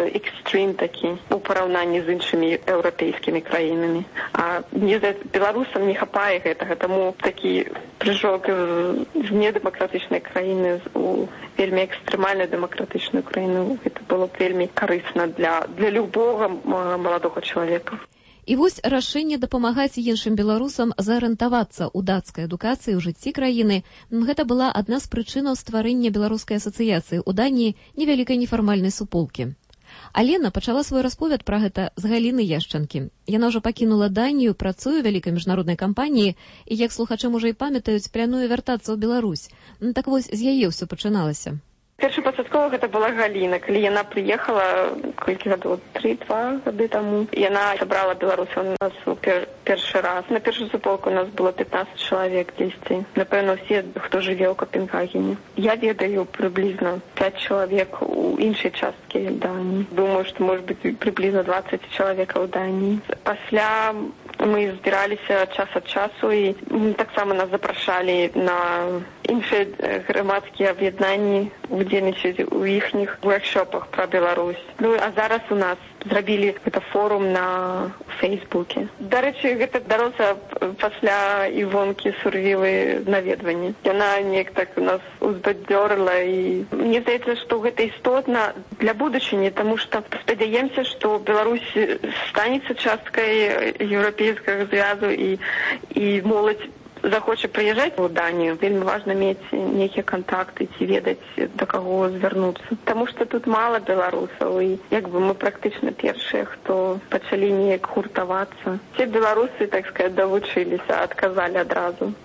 экстрим такі у параўнанні з іншымі еўрапейскімі краінамі. А мне здаецца, беларусам не хапае гэтага, таму такі прыжок з недэмакратычнай краіны у вельмі экстрэмальна дэмакратычную краіну, гэта было б вельмі карысна для любога маладога чалавека. І вось рашэнне дапамагаць іншым беларусам зарыентавацца ў дацкай адукацыі ў жыцці краіны. Гэта была адна з прычынаў стварэння беларускай асацыяцыі ў Даніі невялікай нефармальнай суполкі. Алена пачала свой расповед пра гэта з Галіны Яшчанкі. Яна ўжо пакінула Данію, працуе ў вялікай міжнароднай кампаніі і, як слухачы можа і памятаюць, плануе вяртацца ў Беларусь. Так вось, з яе ўсё пачыналася. Першапачаткова гэта была Галіна. Калі яна прыехала, колькі гадоў, 3-2 гады таму, яна сабрала беларусаў у нас першы раз. На першую суполку у нас было 15 чалавек дзесьці. Напэўна, усе, хто жыве ў Копенгагене. Я ведаю прыблізна 5 чалавек у іншай часткі Даніі. Думаю, што, можа быць, прыблізна 20 чалавекаў у Даніі. Пасля мы збіраліся час ад часу і таксама нас запрашалі на іншыя грамадскія аб'яднанні удзельнічаць у іхніх воркшопах пра Беларусь. Ну, а зараз у нас зрабілі гэта форум на Фейсбуке. Дарэчы, гэта дарослая пасля Івонкі Сурвілы наведванні. Яна неяк так нас узбадзёрыла і мне здаецца, што гэта істотна для будучыні, таму што спадзяемся, што Беларусь станецца часткай еўрапейскага звязу і моладзь захоча прыязджаць у Данію. Вельмі важна мець нейкія кантакты ці ведаць, да каго звярнуцца. Таму што тут мала беларусаў і як бы мы практычна першыя, хто пачалі неяк гуртавацца. Все беларусы, так сказать, давучыліся, адказалі адразу.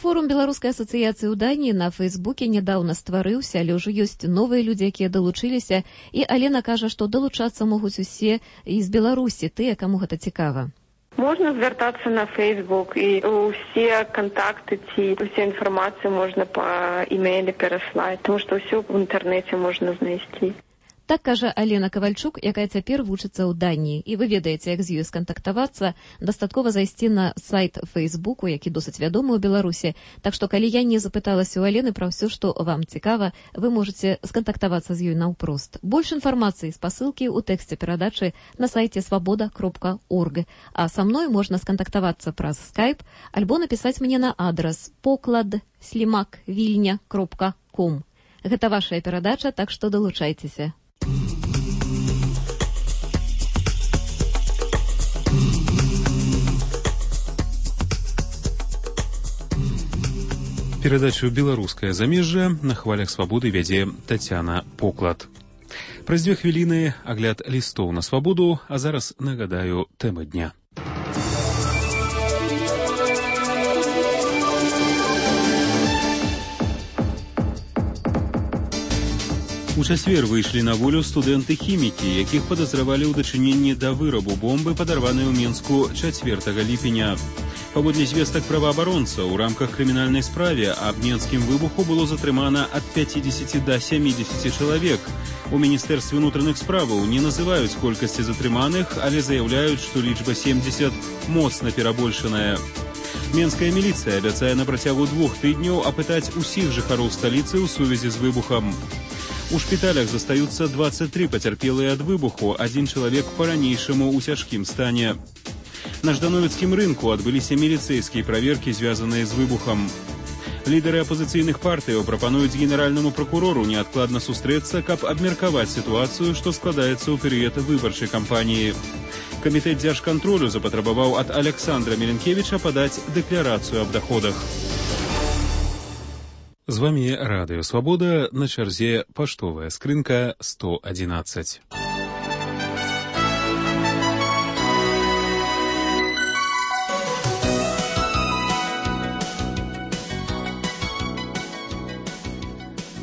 Форум беларускай асацыяцыі ў Даніі на Фейсбуке нядаўна стварыўся, але ўжо ёсць новыя людзі, якія далучыліся, і Алена кажа, што далучацца могуць усе і з Беларусі, тыя, каму гэта цікава. Можна звяртацца на Фейсбук, і ўсе кантакты ці ўсе інфармацыю можна па імейле пераслаць, тому што ўсё ў інтэрнэце можна знайсці. Так кажа Алена Кавальчук, якая цяпер вучыцца ў Даніі. І вы ведаеце, як з ёй скантактавацца. Дастаткова зайсці на сайт Фейсбуку, які досыць вядомы ў Беларусі. Так што, калі я не запыталася ў Алены пра ўсё, што вам цікава, вы можаце скантактавацца з ёй наўпрост. Больш інфармацыі, спасылкі ў тэксце перадачы на сайце свабода.орг. А са мной можна скантактавацца праз Skype альбо напісаць мне на адрас poklad@vilnia.com. Гэта вашая перадача, так што далучайцеся. Перадачу «Беларускае замежжа» на хвалях свабоды вядзе Тацяна Поклад. Праз 2 хвіліны агляд лістоў на свабоду, а зараз нагадаю тэмы дня. У чацвер выйшлі на волю студэнты-хімікі, якіх падазравалі ў дачыненні да вырабу бомбы, падарванай у Мінску 4 ліпеня. Паводле звестак праваабаронцаў, у рамках крымінальнай справе аб мінскім выбуху было затрымана ад 50 да 70 чалавек. У Міністэрстве ўнутраных справаў не называюць колькасці затрыманых, але заяўляюць, што лічба 70 моцна перабольшаная. Менская міліцыя абяцае на працягу 2 тыдняў апытаць усіх жыхароў сталіцы ў сувязі з выбухам. У шпіталях застаюцца 23 пацярпелыя ад выбуху, 1 чалавек па-ранейшаму ў цяжкім стане. На ждановецкім рынку адбыліся міліцэйскія праверкі, звязаныя з выбухам. Лідары апозіцыйных партыяў прапануюць генеральнаму пракурору неадкладна сустрэцца, каб абмеркаваць сітуацыю, што складаецца ў перыяд выбарчай кампаніі. Камітэт дзяржкантролю запатрабаваў ад Александра Меленкевіча падаць дэкларацыю аб даходах. З вамі Радыё Свабода, на чарзе паштовая скрынка 111.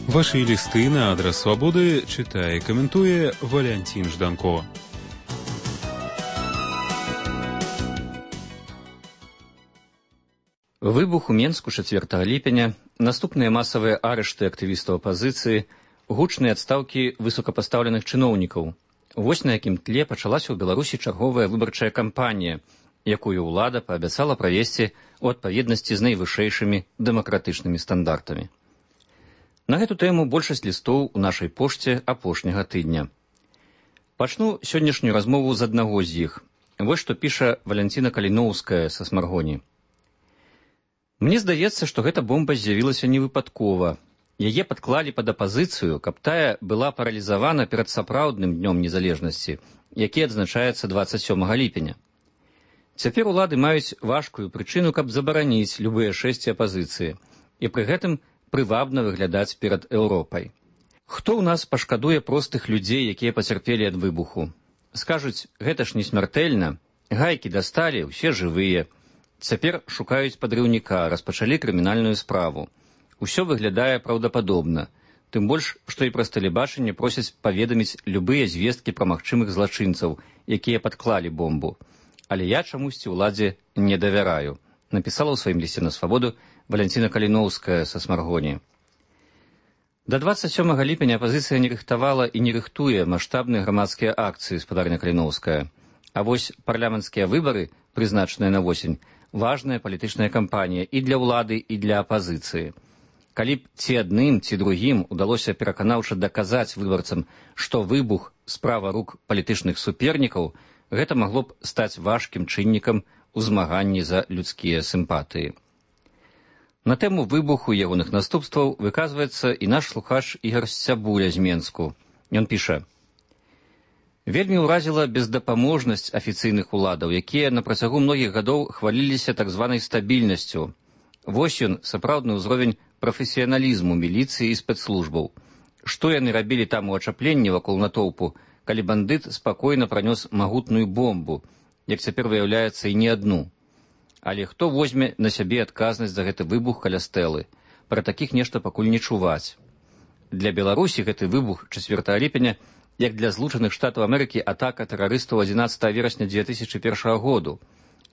Ваши лісты на адрес Свабоды чытае і каментуе Валянцін Жданко. Выбух у Менску 4 ліпеня, наступныя масавыя арышты актывістаў апазіцыі, гучныя адстаўкі высокапастаўленых чыноўнікаў. Вось на якім тле пачалася ў Беларусі чарговая выбарчая кампанія, якую ўлада паабяцала правесці ў адпаведнасці з найвышэйшымі дэмакратычнымі стандартамі. На гэту тэму большасць лістоў у нашай пошце апошняга тыдня. Пачну сённяшнюю размову з аднаго з іх. Вось што піша Валянціна Каліноўская са Смаргоні. Мне здаецца, што гэта бомба з'явілася невыпадкова. Яе падклалі пад апазіцыю, каб тая была паралізавана перад сапраўдным днём незалежнасці, які адзначаецца 27 ліпеня. Цяпер улады маюць важкую прычыну, каб забараніць любыя шэсці апазіцыі і пры гэтым прывабна выглядаць перад Еўропай. Хто ў нас пашкадуе простых людзей, якія пацярпелі ад выбуху? Скажуць, гэта ж не смяртэльна, гайкі дасталі, усе жывыя. Цяпер шукаюць падрыўніка, распачалі крымінальную справу. Усё выглядае праўдападобна, тым больш, што і праз тэлебачанне просяць паведаміць любыя звесткі пра магчымых злачынцаў, якія падклалі бомбу. Але я чамусьці ўладзе не давяраю, напісала ў сваім лісце на свабоду Валянціна Каліноўская са Смаргоні. Да 27 ліпеня апазіцыя не рыхтавала і не рыхтуе маштабныя грамадскія акцыі, спадарня Каліноўская. А вось парламенцкія выбары, прызначаныя на восень, важная палітычная кампанія і для ўлады, і для апазіцыі. Калі б ці адным, ці другім удалося пераканаўча даказаць выбарцам, што выбух – справа рук палітычных супернікаў, гэта магло б стаць важкім чыннікам у змаганні за людскія сімпатыі. На тэму выбуху ягоных наступстваў выказваецца і наш слухач Ігар Сцябуля з Менску. Ён піша: «Вельмі ўразіла бездапаможнасць афіцыйных уладаў, якія на працягу многіх гадоў хваліліся так званай стабільнасцю. Вось ён, сапраўдны ўзровень прафесіяналізму міліцыі і спецслужбаў. Што яны рабілі там у ачапленні вакол натоўпу, калі бандыт спакойна пранёс магутную бомбу, як цяпер выяўляецца і не адну. Але хто возьме на сябе адказнасць за гэты выбух каля стэлы? Пра такіх нешта пакуль не чуваць. Для Беларусі гэты выбух 4 ліпеня, як для Злучаных Штатаў Амерыкі атака тэрарыстаў 11 верасня 2001 году.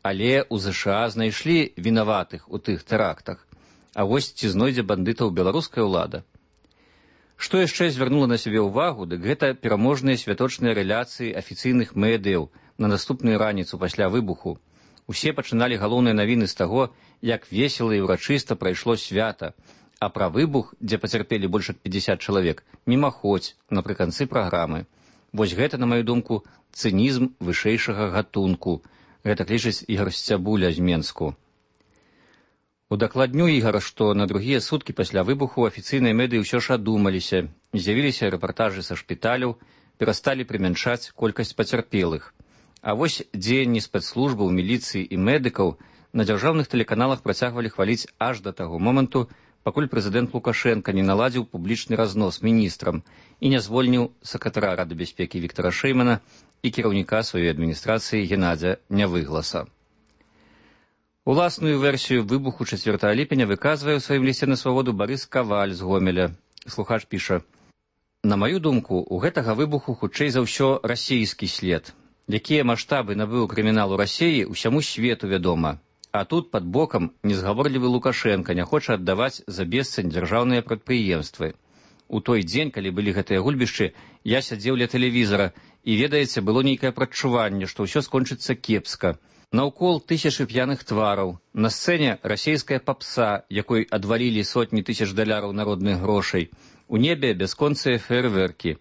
Але ў ЗША знайшлі вінаватых у тых тэрактах. А вось ці знойдзе бандытаў беларуская ўлада? Што яшчэ звярнула на сябе ўвагу, дык гэта пераможныя святочныя рэляцыі афіцыйных медыяў на наступную раніцу пасля выбуху. Усе пачыналі галоўныя навіны з таго, як весела і ўрачыста прайшло свята, а пра выбух, дзе пацярпелі больш як 50 чалавек, мімаходзь напрыканцы праграмы. Вось гэта, на маю думку, цынізм вышэйшага гатунку. Гэта лічыць Ігар Сцябуля з Менску. Удакладню Ігара, што на другія суткі пасля выбуху афіцыйныя медыі ўсё ж адумаліся, з'явіліся рэпартажы са шпіталяў, перасталі прымяншаць колькасць пацярпелых. А вось дзеянні спецслужбаў, міліцыі і медыкаў на дзяржаўных тэлеканалах працягвалі хваліць аж да таго моманту, пакуль прэзідэнт Лукашенка не наладзіў публічны разнос міністрам і не звольніў сакратара Рады бяспекі Віктара Шэймана і кіраўніка сваёй адміністрацыі Геннадзя Нявыгласа. Уласную версію выбуху 4 ліпеня выказвае ў сваім лісце на свабоду Барыс Каваль з Гомеля. Слухач піша: «На маю думку, у гэтага выбуху хутчэй за ўсё расійскі след. Якія маштабы набыў крымінал у Расіі, усяму свету вядома. А тут пад бокам незгаворлівы Лукашенка не хоча аддаваць за бесцань дзяржаўныя прадпрыемствы. У той дзень, калі былі гэтыя гульбішчы, я сядзеў ля тэлевізара, і, ведаеце, было нейкае прадчуванне, што ўсё скончыцца кепска. Наўкол тысячы п'яных твараў, на сцэне расійская папса, якой адвалілі сотні тысяч даляраў народных грошай, у небе бясконцыя фейерверкі.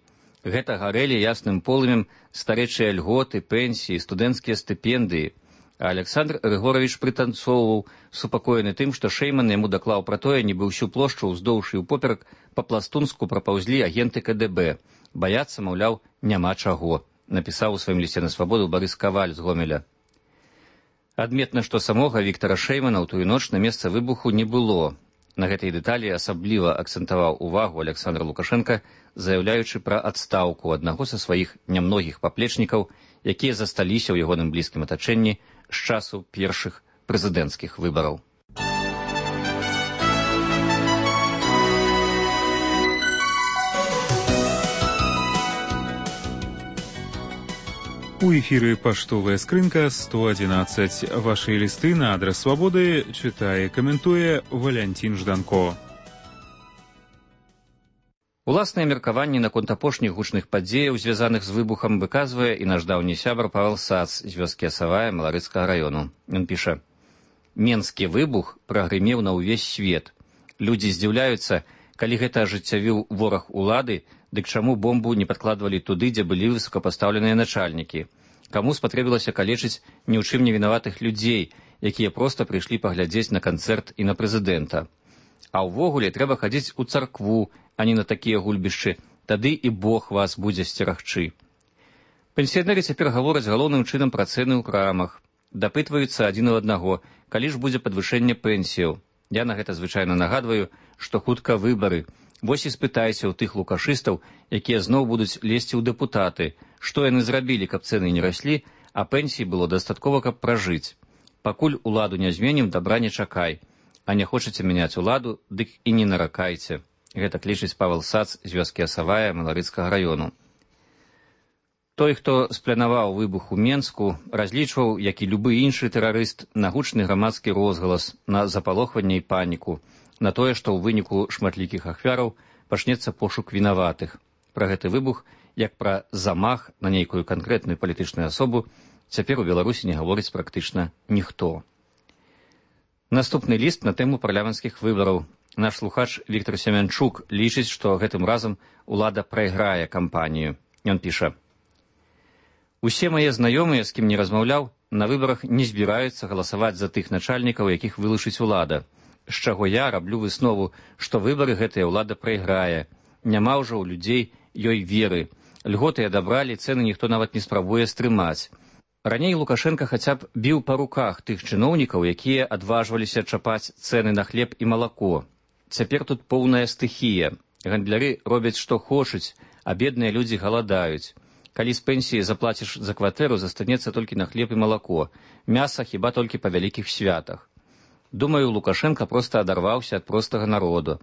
Гэта гарэлі ясным полымем старэчыя льготы, пенсіі, студэнцкія стыпендыі. А Александр Рыгорович прытанцоўваў, супакоены тым, што Шэйман яму даклаў пра тое, нібы ўсю плошчу ўздоўж і ўпоперак па-пластунску прапаўзлі агенты КДБ. Баяцца, маўляў, няма чаго, напісаў у сваім лісце на свабоду Барыс Каваль з Гомеля. Адметна, што самога Віктара Шэймана ў тую ноч на месца выбуху не было. На гэтай дэталі асабліва акцэнтаваў увагу Александр Лукашенка, заяўляючы пра адстаўку аднаго са сваіх нямногіх паплечнікаў, якія засталіся ў ягоным блізкім атачэнні з часу першых прэзідэнцкіх выбараў. У эфіры паштовая скрынка 111. Вашы лісты на адрас свабоды чытае, каментуе Валянцін Жданко. Уласнае меркаванне наконт апошніх гучных падзеяў, звязаных з выбухам, выказвае і наш даўні сябар Павел Сац з вёскі Асавая Маларыцкага раёну. Ён піша: «Менскі выбух прагрымеў на ўвесь свет. Людзі здзіўляюцца, калі гэта ажыццявіў вораг улады, Дык чаму бомбу не падкладвалі туды, дзе былі высокапастаўленыя начальнікі? Каму спатрэбілася калечыць ні ў чым не вінаватых людзей, якія проста прыйшлі паглядзець на канцэрт і на прэзідэнта? А ўвогуле трэба хадзіць у царкву, а не на такія гульбішчы, тады і Бог вас будзе сцерагчы. Пенсіянеры цяпер гавораць галоўным чынам пра цэны ў крамах. Дапытваюцца адзін у аднаго, калі ж будзе падвышэнне пенсіяў. Я на гэта звычайна нагадваю, што хутка выбары. Вось і спытайся ў тых лукашыстаў, якія зноў будуць лезці ў дэпутаты, што яны зрабілі, каб цэны не раслі, а пенсіі было дастаткова, каб пражыць. Пакуль уладу не зменім, дабра не чакай. А не хочаце мяняць уладу, дык і не наракайце. Гэта лічыць Павел Сац з вёскі Асавая Маларыцкага раёну. Той, хто спланаваў выбух у Менску, разлічваў, як і любы іншы тэрарыст, на гучны грамадскі розгалас, на запалохванне і паніку, на тое, што ў выніку шматлікіх ахвяраў пачнецца пошук вінаватых. Пра гэты выбух, як пра замах на нейкую канкрэтную палітычную асобу, цяпер у Беларусі не гаворыць практычна ніхто. Наступны ліст на тэму парламенцкіх выбараў. Наш слухач Віктор Семянчук лічыць, што гэтым разам улада прайграе кампанію. Ён піша: «Усе мае знаёмыя, з кім не размаўляў, на выбарах не збіраюцца галасаваць за тых начальнікаў, якіх вылучыць улада. З чаго я раблю выснову, што выбары гэтая ўлада прайграе. Няма ўжо ў людзей ёй веры. Льготы адабралі, цэны ніхто нават не спрабуе стрымаць. Раней Лукашенко хаця б біў па руках тых чыноўнікаў, якія адважваліся чапаць цэны на хлеб і малако. Цяпер тут поўная стыхія. Гандляры робяць, што хочуць, а бедныя людзі галадаюць. Калі з пенсіі заплаціш за кватэру, застанецца толькі на хлеб і малако. Мяса хіба толькі па вялікіх святах. Думаю, Лукашенко проста адарваўся ад простага народу.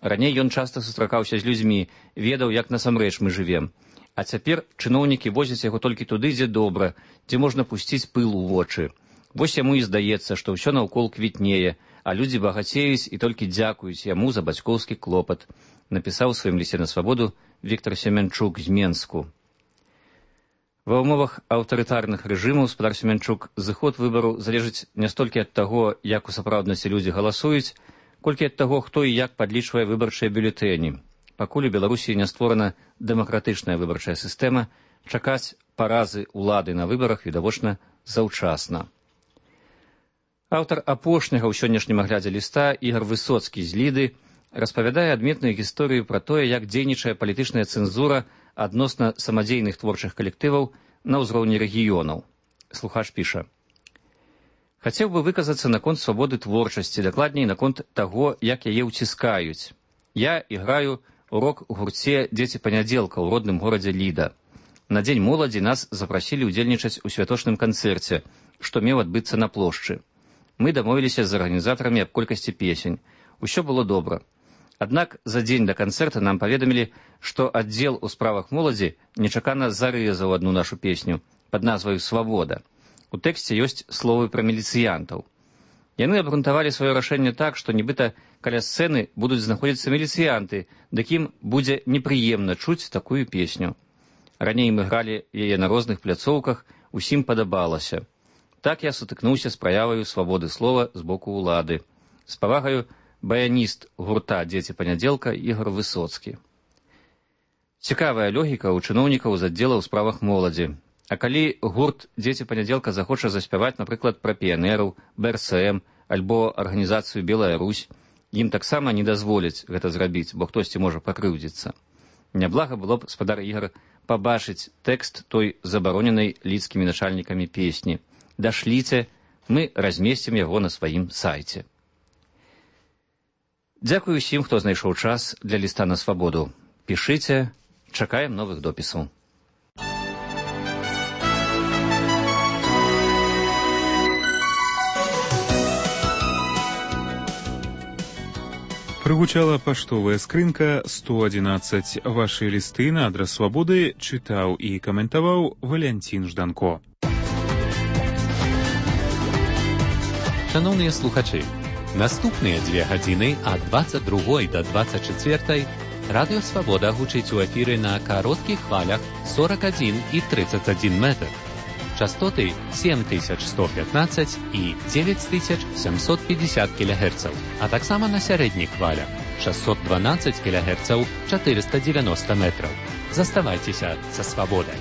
Раней ён часта сустракаўся з людзьмі, ведаў, як насамрэч мы жывем. А цяпер чыноўнікі возяць яго толькі туды, дзе добра, дзе можна пусціць пыл у вочы. Вось яму і здаецца, што ўсё наўкол квітнее, а людзі багацеюць і толькі дзякуюць яму за бацькоўскі клопат, напісаў у сваім лісце на свабоду Віктор Семянчук з Менску. Ва ўмовах аўтарытарных рэжымаў, спадар Семянчук, зыход выбару залежыць не столькі ад таго, як у сапраўднасці людзі галасуюць, колькі ад таго, хто і як падлічвае выбарчыя бюлетэні. Пакуль у Беларусі не створана дэмакратычная выбарчая сістэма, чакаць паразы ўлады на выбарах відавочна заўчасна. Аўтар апошняга ў сённяшнім аглядзе ліста Ігор Высоцкі з Ліды распавядае адметную гісторыю пра тое, як дзейнічае палітычная цэнзура адносна самадзейных творчых калектываў на ўзроўні рэгіёнаў. Слухач піша: «Хацеў бы выказацца наконт свабоды творчасці, дакладней наконт таго, як яе ўціскаюць. Я іграю у рок-гурце «Дзеці панядзелка» ў родным горадзе Ліда. На Дзень моладзі нас запрасілі ўдзельнічаць у святочным канцэрце, што меў адбыцца на плошчы. Мы дамовіліся з арганізатарамі аб колькасці песень. Усё было добра. Аднак за дзень да канцэрта нам паведамілі, што аддзел у справах моладзі нечакана зарэзаў адну нашу песню пад назваю «Свабода». У тэксце ёсць словы пра міліцыянтаў. Яны абгрунтавалі сваё рашэнне так, што нібыта каля сцэны будуць знаходзіцца міліцыянты, дык ім будзе непрыемна чуць такую песню. Раней мы гралі яе на розных пляцоўках, усім падабалася. Так я сутыкнуўся з праяваю свабоды слова з боку ўлады. З павагаю, баяніст гурта «Дзеці панядзелка» Ігор Высоцкі. Цікавая логіка ў чыноўнікаў з аддзела ў справах моладзі. А калі гурт «Дзеці панядзелка» захоча заспяваць, напрыклад, пра піянераў, БРСМ альбо арганізацыю «Белая Русь», ім таксама не дазволяць гэта зрабіць, бо хтосьці можа пакрыўдзіцца. Няблага было б, спадар Ігор, пабачыць тэкст той забароненай лідскімі начальнікамі песні. Дашліце, мы размесцім яго на сваім сайце. Дзякую усім, хто знайшоў час для ліста на свабоду. Пішыце, чакаем новых допісаў. Прыгучала паштовая скрынка 111. Вашы лісты на адрас свабоды чытаў і каментаваў Валянцін Жданко. Шановныя слухачы, наступныя 2 гадзіны ад 22 до 24 Радыё Свабода гучыць у эфіры на кароткіх хвалях 41 і 31 метр. Частоты 7115 і 9750 кГц, а таксама на сярэдніх хвалях 612 кГц 490 метраў. Заставайцеся са свабодай.